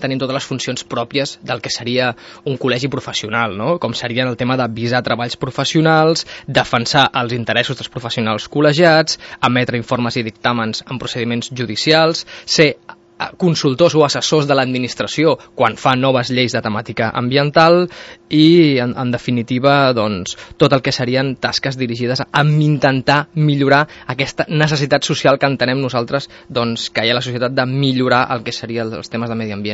tenim totes les funcions pròpies del que seria un col·legi professional, no? Com serien el tema d'avisar treballs professionals, defensar els interessos dels professionals col·legiats, emetre informes i dictàmens en procediments judicials, ser consultors o assessors de l'administració quan fa noves lleis de temàtica ambiental i, en definitiva, doncs, tot el que serien tasques dirigides a intentar millorar aquesta necessitat social que entenem nosaltres doncs, que hi ha a la societat de millorar el que serien els temes de medi ambient.